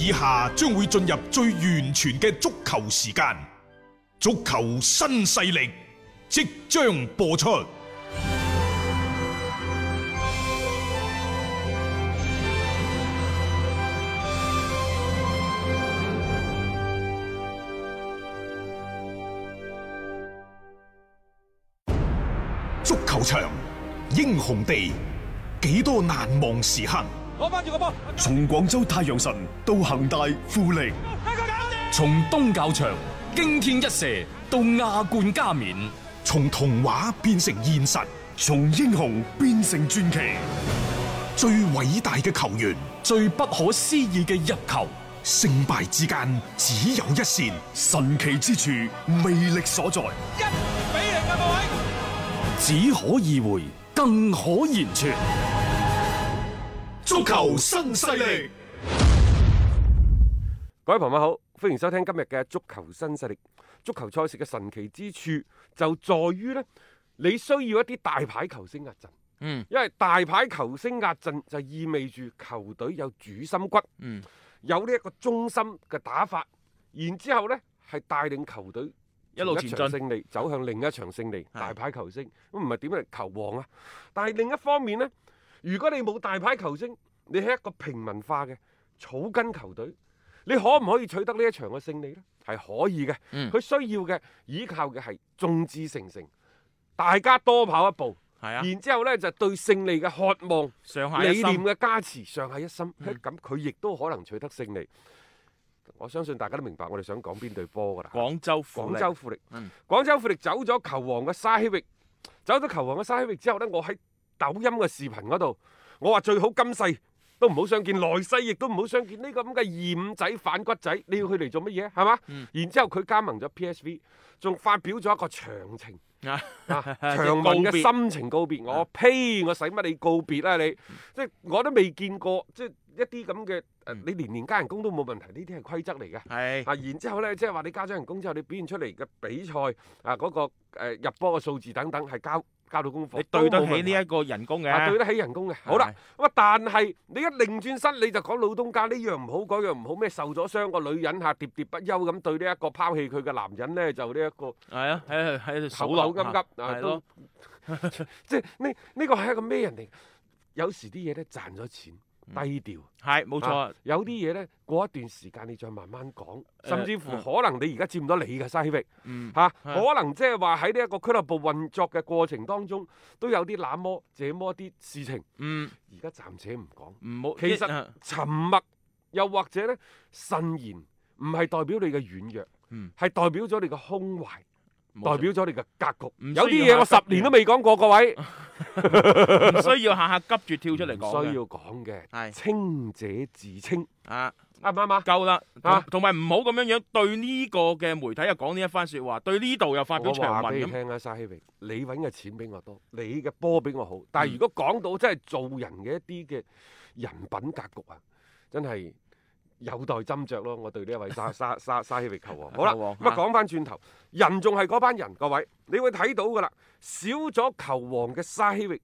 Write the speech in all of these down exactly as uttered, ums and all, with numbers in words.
以下將會進入最完全嘅足球時間，足球新勢力即將播出。足球場，英雄地，幾多難忘時刻。攞翻住個波，從廣州太陽神到恒大富力，從東較場驚天一射到亞冠加冕，從童話變成現實，從英雄變成傳奇。最偉大嘅球員，最不可思議嘅入球，勝敗之間只有一線，神奇之處魅力所在。一比零啊，各位！只可意會，更可言傳。足球新勢力，各位朋友好，歡迎收聽今日嘅足球新勢力。足球賽事嘅神奇之處就在於呢，你需要一啲大牌球星壓陣。嗯，因為大牌球星壓陣就意味住球隊有主心骨，嗯，有呢一個中心嘅打法，然之後呢係帶領球隊一路前進，勝利走向另一場勝利。大牌球星咁唔係點嚟球王啊？但係另一方面呢，如果你冇大牌球星，你係一個平民化嘅草根球隊，你可唔可以取得呢一場嘅勝利呢？係可以嘅。佢、嗯、需要嘅依靠嘅係眾志成城，大家多跑一步。係啊，然之後呢，就對勝利嘅渴望、上下一心、理念嘅加持，上下一心。嗯、咁佢亦都可能取得勝利。我相信大家都明白我哋想講邊隊波㗎啦。廣州富力，廣州富力，嗯、廣州富力走咗球王嘅沙希域，走咗球王嘅沙希域之後呢，我喺抖音嘅視頻嗰度，我話最好今世都唔好相見，來世亦都唔好相見呢、這個咁嘅二五仔反骨仔，你要佢嚟做乜嘢？係嘛？嗯、然之後佢加盟咗 P S V， 仲發表咗一個長情。啊，長文嘅心情告別，我呸！我使乜你告別啊你？嗯、即係我都未見過，即係一啲咁嘅誒，你年年加人工都冇問題，呢啲係規則嚟嘅。係啊，然之後咧，即係話你加咗人工之後，你表現出嚟嘅比賽啊嗰、嗰個誒、呃、入波嘅數字等等係交交到功課，你對得起呢一個人工嘅、啊，對得起人工嘅。好啦，咁啊，但係你一擰轉身你就講老東家呢樣唔好，嗰樣唔好咩？受咗傷個女人嚇喋喋不休咁對呢一個拋棄佢嘅男人咧，就呢、這、一個係啊，喺喺度口口急急啊，都即係呢呢個係一個咩人嚟？有時啲嘢咧賺咗錢。低調係冇錯、啊，有啲嘢咧過一段時間你再慢慢講，呃、甚至乎可能你而家佔唔到你嘅西域，嗯嚇、啊，可能即係話喺呢一個俱樂部運作嘅過程當中，都有啲那麼這麼啲事情，嗯，而家暫且唔講，唔好，其實沉默又或者咧慎言，唔係代表你嘅軟弱，嗯，係代表咗你嘅胸懷。代表咗你嘅格局，有啲嘢我十年都未講過，各位唔需要下下急住跳出嚟講，需要講嘅，係清者自清啊，啱唔啱啊？夠啦，啊，同埋唔好咁樣樣對呢個嘅媒體又講呢一番説話，對呢度又發表長文咁。我話俾你聽啊，沙希榮，你揾嘅錢比我多，你嘅波比我好，但係如果講到真係做人嘅一啲嘅人品格局啊，真係。有待斟酌咯，我對呢一位沙沙沙沙希域球王。好啦，咁啊講翻轉頭，人仲係嗰班人，各位，你會睇到噶啦，少咗球王嘅沙希域，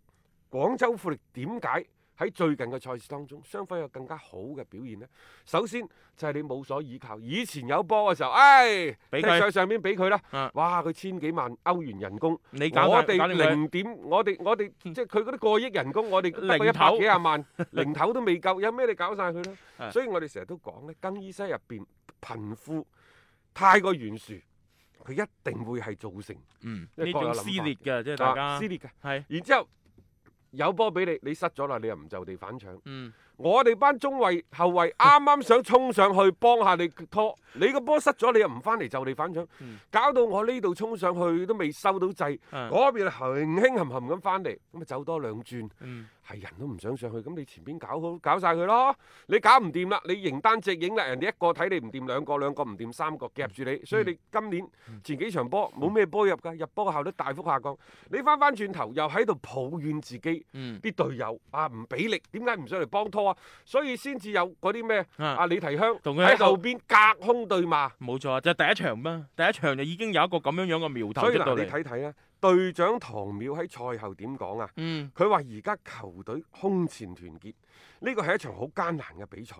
廣州富力點解喺最近嘅賽事當中，雙方有更加好嘅表現呢？首先就係、是、你冇所依靠，以前有波嘅時候，唉，踢上上邊俾佢啦，啊、哇，佢千幾萬歐元人工，你搞我哋零點，我哋我哋即係佢嗰啲過億人工，我哋得個一百幾廿萬，零頭都未夠，有咩你搞晒佢啦？啊、所以我哋成日都講咧，更衣室入邊貧富太過懸殊，佢一定會係造成嗯呢種撕裂嘅，即係大家、啊、撕裂嘅，係，然之後。有波俾你，你失咗啦，你又唔就地反搶。嗯，我哋班中衛後衛啱啱想衝上去幫下你拖，你個波失咗，你又唔翻嚟就地反搶，嗯、搞到我呢度衝上去都未收到掣，嗰邊輕輕冚冚咁翻嚟，咁咪走多兩轉。係、嗯、人都唔想上去，咁你前邊搞好，搞晒佢咯。你搞唔掂啦，你形單隻影啦，人哋一個睇你唔掂，兩個兩個唔掂，三個夾住你，所以你今年前幾場波冇咩波入㗎，入波嘅效率大幅下降。你翻翻轉頭又喺度抱怨自己。嗯，啲隊友啊唔俾力，點解唔上嚟幫拖啊？所以先至有嗰啲咩啊李提香喺後邊隔空對罵。冇錯，就係、第一場嘛，第一場就已經有一個咁樣樣嘅苗頭出到嚟。所以嗱，你睇睇咧，隊長唐淼喺賽後點講啊？嗯，佢話而家球隊空前團結，呢個係一場好艱難嘅比賽。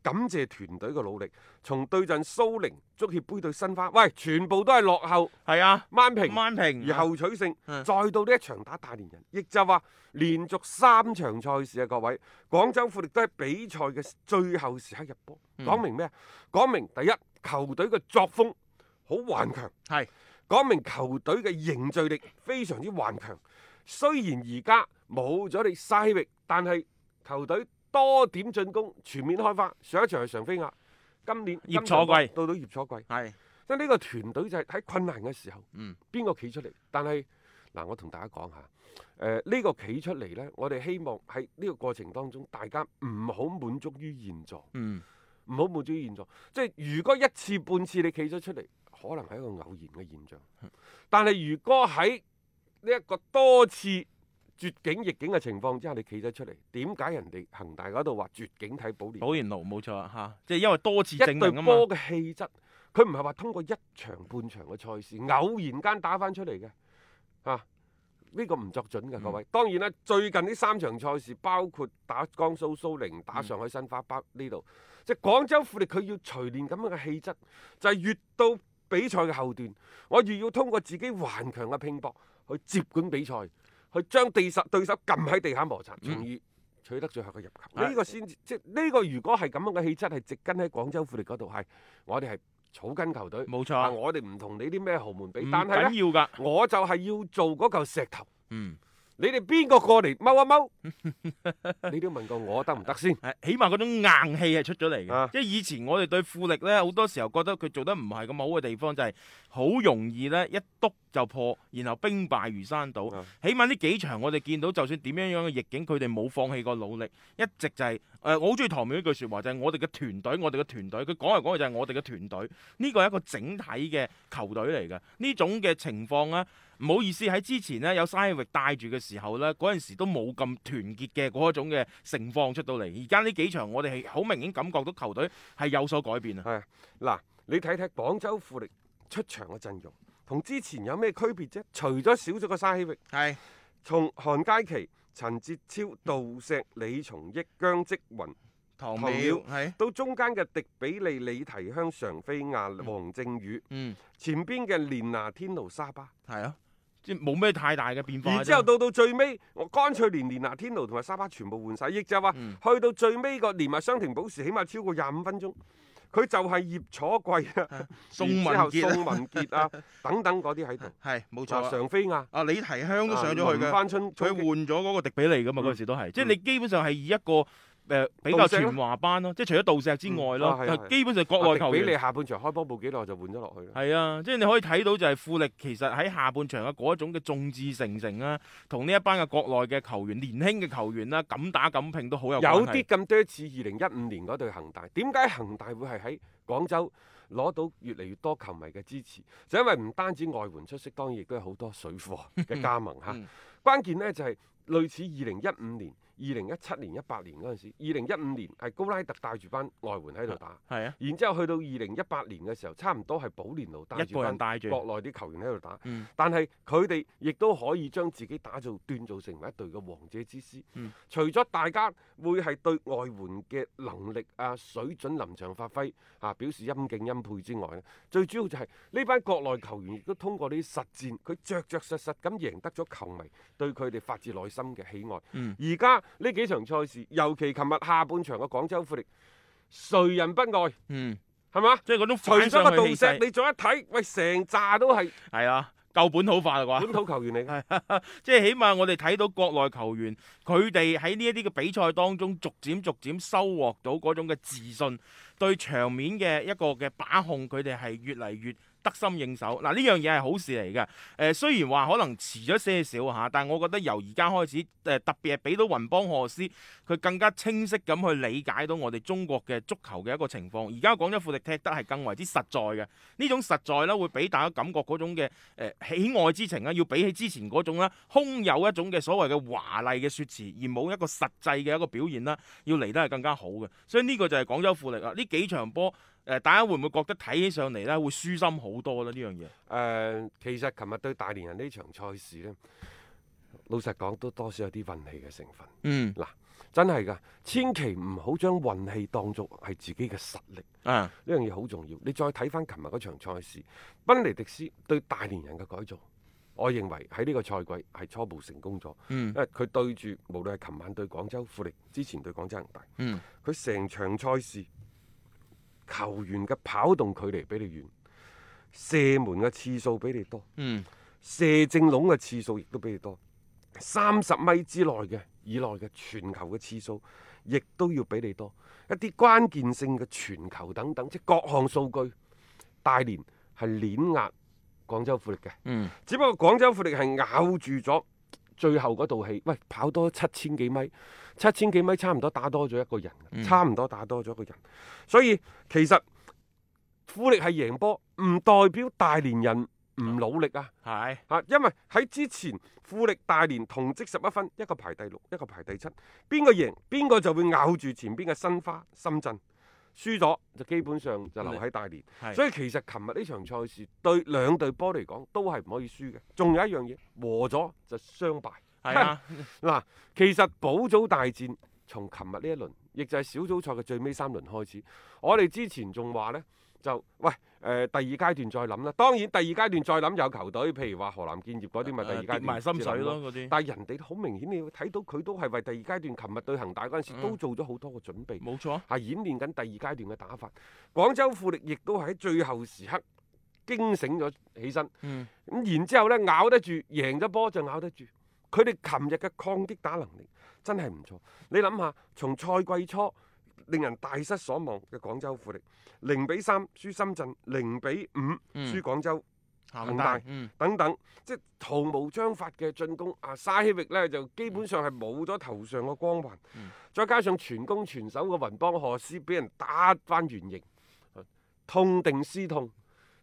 感謝團隊嘅努力，從對陣蘇寧足協杯對申花，喂，全部都係落後，係啊，扳平，扳平，而後取勝，嗯再到呢一場打大連人，亦就話連續三場賽事啊，各位，廣州富力都喺比賽嘅最後時刻入波，講明咩啊？講明第一，球隊嘅作風好頑強，係講明球隊嘅凝聚力非常之頑強。雖然而家冇咗你沙希域，但係球隊多點進攻，全面開花。上一場係常飛亞，今年葉楚貴到到葉楚貴，係即係呢個團隊就係喺困難嘅時候，嗯邊個企出嚟？但係嗱，我同大家講下，誒、呃、呢、呢個企出嚟呢，我哋希望喺呢個過程當中，大家唔好滿足於現狀，嗯唔好滿足於現狀。即係如果一次半次你企咗出嚟，可能係一個偶然嘅現象。但係如果喺呢一個多次絕境逆境嘅情況之下，你企咗出嚟，點解人哋恒大嗰度話絕境睇保連？保連奴冇錯啊嚇，即係因為多次證一隊明啊嘛。波嘅氣質，佢唔係話通過一場半場嘅賽事偶然間打翻出嚟嘅，啊呢、個唔作準嘅各位。嗯當然啦，最近呢三場賽事，包括打江蘇蘇寧、打上海申花，包呢度，即係廣州富力佢要錘煉咁樣嘅氣質，就係、越到比賽嘅後段，我越要通過自己頑強嘅拼搏去接管比賽。去將地實對手撳喺地下摩擦，從而取得最後嘅入球。呢、嗯、個先至即係呢個，如果係咁樣嘅氣質，係植根喺廣州富力嗰度，係我哋係草根球隊。冇錯啊，我哋唔同你啲咩豪門比，唔但係咧，緊要㗎。我就係要做嗰嚿石頭。嗯。你哋邊個過嚟踎一踎？你都問過我得唔得先？係，起碼嗰種硬氣係出咗嚟嘅。啊即係以前我哋對富力呢，好多時候覺得佢做得唔係咁好嘅地方，就係好容易呢一篤就破，然後兵敗如山倒。啊起碼呢幾場我哋見到，就算點樣樣嘅逆境，佢哋冇放棄過努力，一直就係、是、誒、呃，我好中意唐淼呢句説話，就係、是、我哋嘅團隊，我哋嘅團隊。佢講嚟講去就係我哋嘅團隊，呢個係一個整體嘅球隊嚟嘅。呢種嘅情況呢，唔好意思喺之前呢，有沙希域帶住嘅時候呢，嗰陣時都冇咁團結嘅嗰一種嘅盛況出到嚟。而家呢幾場我哋係好明顯感覺到球隊係有所改變啊。係嗱，你睇睇廣州富力出場嘅陣容，同之前有咩區別啫？除咗少咗個沙希域，係從韓佳琪、陳哲超、杜石、李松益、姜積雲、唐唐淼淼係到中間嘅迪比利、李提香、常飛亞、黃正宇，嗯前邊嘅連拿天奴、沙巴，係啊，即係冇咩太大嘅變化啫。然之後到到最尾，我乾脆連連拿天奴同埋沙巴全部換晒，亦就係話、嗯去到最尾個連埋雙停保時，起碼超過廿五分鐘。佢就係葉楚貴啊、宋文然之後傑啊宋文傑啊等等嗰啲喺度，係冇錯啊啊。常飛亞、啊李提香都上咗去嘅，林翻春佢換咗嗰個迪比利噶嘛，嗰、嗯時都係，即係嗯你基本上係以一個誒、呃、比較全華班咯，即係除咗杜石之外咯，嗯啊係啊係啊基本上國內球員迪比利下半場開波冇幾耐就換咗落去啦。係啊，即係你可以睇到就係富力其實喺下半場嘅嗰一種嘅眾志成城啦，同呢一班嘅國內嘅球員、年輕嘅球員啦，敢打敢拼都好有有關係啲咁多似二零一五年嗰隊恒大，點解恒大會係喺廣州攞到越嚟越多球迷嘅支持？就因為唔單止外援出色，當然亦都有好多水貨嘅加盟嚇。嗯關鍵呢就係、類似二零一五年、二零一七年、一八年嗰陣時，二零一五年係高拉特帶住班外援喺度打，係啊，然之後去到二零一八年嘅時候，差唔多係保連奴帶一住班個人帶住國內啲球員喺度打。嗯但係佢哋亦都可以將自己打造鍛造成為一隊嘅王者之師。嗯除咗大家會係對外援嘅能力啊、水準、臨場發揮啊表示欽敬欽佩之外咧，最主要就係呢班國內球員亦都通過呢啲實戰，佢着着實實咁贏得咗球迷對佢哋發自內心嘅喜愛。嗯而家呢幾場賽事，尤其琴日下半場嘅廣州富力，誰人不愛？嗯，係嘛？即係嗰種除咗反上個杜石，去氣勢，你再一睇，喂，成扎都係係啊，夠本土化啦啩。本土球員嚟嘅。即係起碼我哋睇到國內球員，佢哋喺呢一啲嘅比賽當中，逐漸逐漸收穫到嗰種嘅自信，對場面嘅一個嘅把控，佢哋係越嚟越得心應手。嗱，呢樣嘢係好事嚟嘅。誒、呃，雖然話可能遲咗些少嚇，但係我覺得由而家開始，誒、呃、特別係俾到雲邦賀斯，佢更加清晰咁去理解到我哋中國嘅足球嘅一個情況。而家廣州富力踢得係更為之實在嘅，呢種實在咧會俾大家感覺嗰種嘅誒、呃、喜愛之情啦，要比起之前嗰種啦，空有一種嘅所謂嘅華麗嘅説辭，而冇一個實際嘅一個表現啦，要嚟得係更加好嘅。所以呢個就係廣州富力啊！呢幾場波誒，大家會唔會覺得睇起上嚟咧會舒心好多咧？呢樣嘢誒、呃，其實琴日對大連人呢場賽事呢，老實講都多少有啲運氣嘅成分。嗯嗱，真係㗎，千祈唔好將運氣當作係自己嘅實力。啊，呢樣嘢好重要。你再睇翻琴日嗰場賽事，賓尼迪斯對大連人嘅改造，我認為喺呢個賽季係初步成功咗。嗯因為佢對住無論係琴晚對廣州富力，之前對廣州恒大，嗯佢成場賽事球員嘅跑動距離比你遠，射門嘅次數比你多，嗯射正籠嘅次數亦都比你多，三十米之內嘅以內嘅傳球嘅次數，亦都要比你多。一啲關鍵性嘅傳球等等，即各項數據，大連係碾壓廣州富力嘅。嗯只不過廣州富力係咬住咗最後嗰道氣，喂，跑多七千幾米，七千幾米差唔多打多咗一個人，嗯差唔多打多咗一個人。所以其實富力係贏波，唔代表大連人唔努力啊！係啊，因為喺之前富力大連同積十一分，一個排第六，一個排第七，邊個贏邊個就會咬住前邊嘅申花、深圳。輸咗就基本上就留喺大連，係所以其實琴日呢場賽事對兩隊波嚟講都係唔可以輸嘅。仲有一樣嘢，和咗就雙敗。係啊，嗱，其實保組大戰從琴日呢一輪，亦就係小組賽嘅最尾三輪開始。我哋之前仲話呢，就喂誒、呃、第二階段再諗啦。當然第二階段再諗有球隊，譬如話河南建業嗰啲咪第二階段跌埋心水咯先諗嗰啲。但係人哋好明顯，你要睇到佢都係為第二階段，琴日對恒大嗰陣時、嗯都做咗好多個準備。冇錯，係演練緊第二階段嘅打法。廣州富力亦都喺最後時刻驚醒咗起身，咁、嗯然之後呢，咬得住，贏咗波就咬得住。佢哋琴日嘅抗擊打能力真係唔錯。你諗下，從賽季初令人大失所望嘅廣州富力，零比三輸深圳，零比五輸廣州恒大。嗯等等，即係毫無章法嘅進攻。啊，沙希域呢就基本上係冇咗頭上嘅光環，嗯再加上全攻全守嘅雲邦賀斯俾人打翻原形，痛定思痛，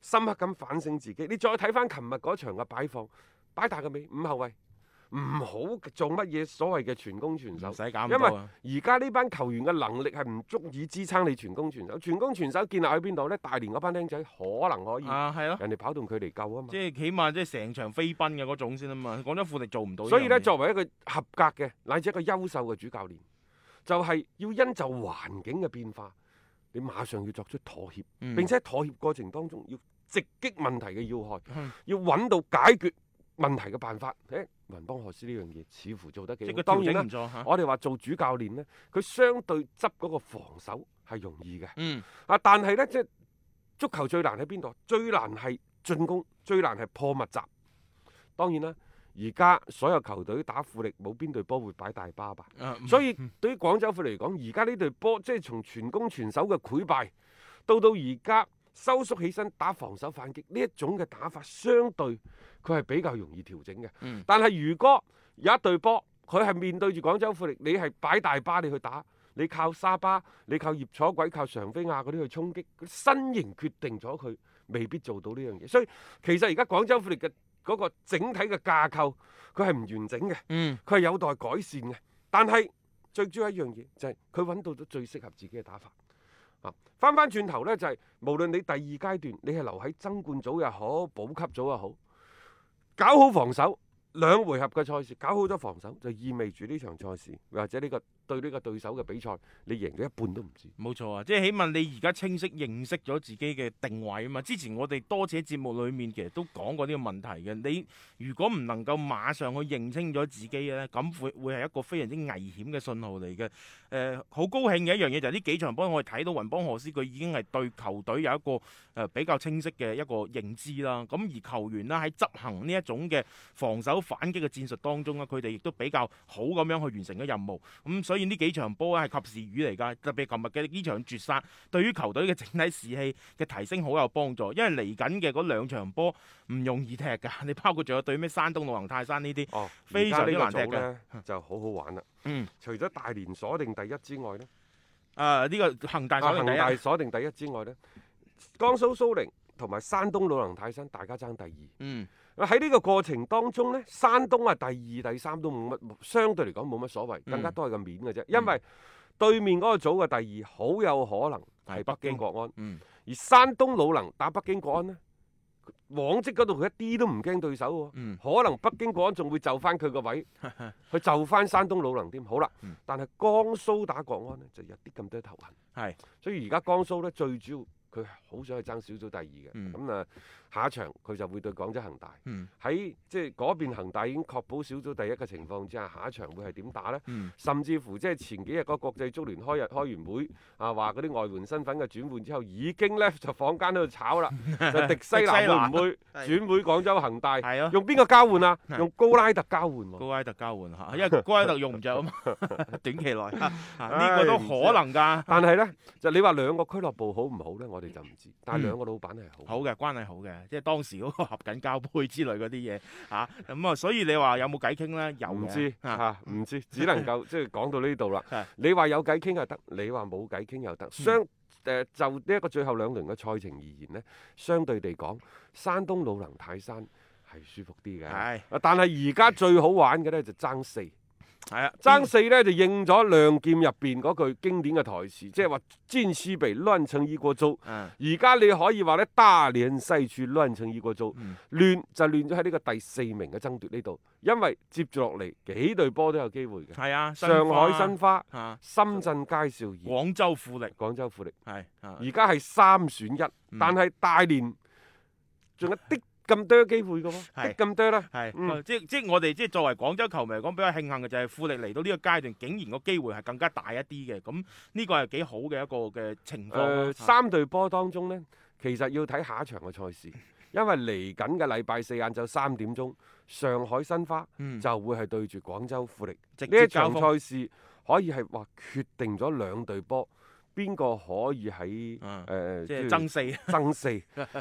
深刻咁反省自己。你再睇翻琴日嗰場嘅擺放，擺大個尾五後衞，唔好做乜嘢所謂嘅全攻全守唔，使搞咁因多啊。為而家呢班球員嘅能力係唔足以支撐你全攻全守。全攻全守建立喺邊度呢？大連嗰班僆仔可能可以，啊，係咯，人哋跑動距離夠啊嘛即。係起碼即係成場飛奔嘅嗰種先啊嘛。廣州富力做唔到。所以咧，呢樣嘢作為一個合格嘅乃至一個優秀嘅主教練，就係、要因就環境嘅變化，你馬上要作出妥協，嗯並且喺妥協過程當中要直擊問題嘅要害，嗯要揾到解決問題嘅辦法。誒，雲邦賀斯呢樣嘢似乎做得幾好。即係個調當然啦整唔，錯嚇。我哋話做主教練呢，佢相對執嗰個防守係容易嘅。嗯啊，但係呢，即係足球最難喺邊度？最難係進攻，最難係破密集。當然啦，而家所有球隊打富力，冇邊隊波會擺大巴吧？啊所以對於廣州富力嚟講，而家呢隊波即係從全攻全守嘅潰敗，到到而家收縮起身打防守反擊呢一種嘅打法，相對佢係比較容易調整嘅。嗯但係如果有一隊波，佢係面對住廣州富力，你係擺大巴你去打，你靠沙巴，你靠葉楚鬼、靠常飛亞嗰啲去衝擊，佢身形決定咗佢未必做到呢樣嘢。所以其實而家廣州富力嘅嗰個整體嘅架構，佢係唔完整嘅，嗯佢係有待改善嘅。但係最主要一樣嘢就係佢揾到咗最適合自己嘅打法。啊，翻翻轉頭呢，就係、無論你第二階段你係留喺爭冠組又好，保級組又好，搞好防守。兩回合嘅賽事搞好咗防守，就意味住呢場賽事或者呢個對呢個對手嘅比賽，你贏咗一半都唔止。冇錯啊，即係起碼你而家清晰認識咗自己嘅定位啊嘛。之前我哋多次喺節目裡面其實都講過呢個問題嘅。你如果唔能夠馬上去認清咗自己嘅咧，咁會會係一個非常之危險嘅信號嚟嘅。誒、呃，好高興嘅一樣嘢就係呢幾場波我哋睇到雲邦賀斯佢已經係對球隊有一個誒、呃、比較清晰嘅一個認知啦。咁而球員啦喺執行呢一種嘅防守反擊嘅戰術當中咧，佢哋亦都比較好咁樣去完成咗任務。咁、嗯、所以呢幾場波咧係及時雨嚟㗎，特別係琴日嘅呢場絕殺，對於球隊嘅整體士氣嘅提升好有幫助。因為嚟緊嘅嗰兩場波唔容易踢㗎，你包括仲有對咩山東魯能泰山呢啲，哦，非常之難踢而家呢個組嘅呢就好好玩啦。嗯，除咗大連鎖定第一之外呢，啊呢、個恒大啊首定第一，恒大鎖定第一之外呢，江蘇蘇寧同埋山東魯能泰山大家爭第二。嗯喺呢個過程當中呢，山東啊第二、第三都冇乜，相對嚟講冇乜所謂，更加多係個面嘅啫。因為對面嗰個組嘅第二好有可能係北係北京京國安，嗯，而山東魯能打北京國安呢，往績嗰度佢一啲都唔驚對手喎，嗯可能北京國安仲會就翻佢個位，去就翻山東魯能添。好啦，嗯但係江蘇打國安呢，就有啲咁多頭痕，係所以而家江蘇呢，最主要佢好想去爭小組第二嘅，嗯咁啊、下一場佢就會對廣州恒大。嗯喺即係嗰邊恒大已經確保小組第一嘅情況之下，下一場會係點打呢？嗯甚至乎即係前幾日嗰個國際足聯開日開完會啊，話嗰啲外援身份嘅轉換之後，已經呢就坊間喺度炒啦，就迪西南會唔會轉會廣州恒大？係咯，用邊個交換啊？係用高拉特交換喎、高拉特交換嚇，因為高拉特用唔着啊嘛，短期內啊呢唉個都可能㗎。但係呢，就你話兩個俱樂部好唔好呢？我哋就唔知。但係兩個老闆係好。好嘅，關係好嘅，即係當時嗰個合緊交杯之類嗰啲嘢嚇，咁啊，所以你話有冇偈傾咧？有嘅唔知啊嚇，唔知，只能夠即係講到呢度啦係。你話有偈傾又得，你話冇偈傾又嗯得。相誒就呢一個最後兩輪嘅賽程而言呢，相對地講，山東魯能泰山係舒服啲嘅。係啊但係而家最好玩嘅呢，就爭四。係啊，爭四呢，就應咗亮劍入邊嗰句經典嘅台詞，即係話戰士被亂成一鍋粥。嗯而家你可以話呢，大連西處亂成一鍋粥，嗯亂就亂咗喺呢個第四名嘅爭奪呢度，因為接住落嚟幾隊波都有機會嘅。係啊，上海申花、啊，深圳佳兆業、廣州富力廣州富力，係啊，而家係三選一，嗯但係大連仲有啲咁多機會嘅喎，係啲咁多啦。係、嗯即即我哋即作為廣州球迷嚟講，比較慶幸嘅就係富力嚟到呢個階段，竟然個機會係更加大一啲嘅，咁呢個係幾好嘅一個嘅情況誒、咯。啊三隊波當中呢，其實要睇下一場嘅賽事，因為嚟緊嘅禮拜四晏晝三點鐘，上海申花嗯就會係對住廣州富力。直呢一場接交鋒賽事可以係話決定咗兩隊波邊個可以喺誒、嗯呃即係爭四，爭四，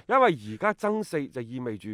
因為而家爭四就意味住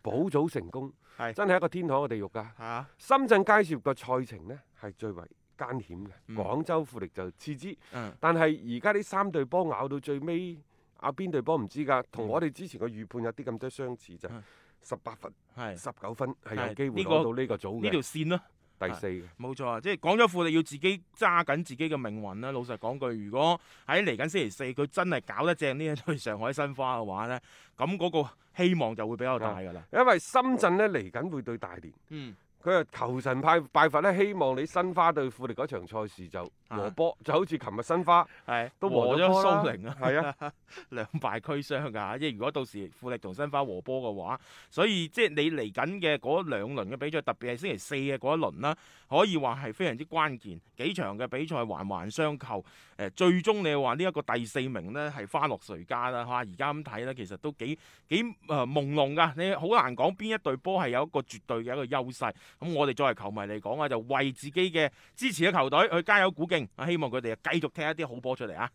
保組成功，係真係一個天堂嘅地獄㗎。嚇，深圳佳兆業嘅賽程呢係最為艱險嘅，嗯廣州富力就次之。嗯但係而家呢三隊波咬到最尾，咬邊隊波唔知㗎，同我哋之前嘅預判有啲咁多相似就嗯十八分、係十九分係係有機會呢個攞到呢個組呢條嘅線咯。第四嘅。冇錯啊，即係廣州富力要自己揸緊自己嘅命運啦。老實講句，如果喺嚟緊星期四佢真係搞得正呢一隊上海申花嘅話呢，咁嗰個希望就會比較大㗎啦。因為深圳呢嚟緊會對大連，嗯，佢係求神派拜佛呢，希望你申花對富力嗰場賽事就和波，就好似琴日申花係都和和咗咗波啦蘇寧啊，係啊，兩敗俱傷㗎。即係如果到時富力同申花和波嘅話，所以即係你嚟緊嘅嗰兩輪嘅比賽，特別係星期四嘅嗰一輪啦，可以話係非常之關鍵。幾場嘅比賽環環相扣，誒、最終你話呢一個第四名呢係花落誰家啦嚇？而家咁睇呢，其實都幾幾誒、呃、朦朧㗎，你好難講邊一隊波係有一個絕對嘅一個優勢。咁我哋作為球迷嚟講啊，就為自己嘅支持嘅球隊去加油鼓勁，啊希望佢哋繼續踢一啲好波出嚟啊！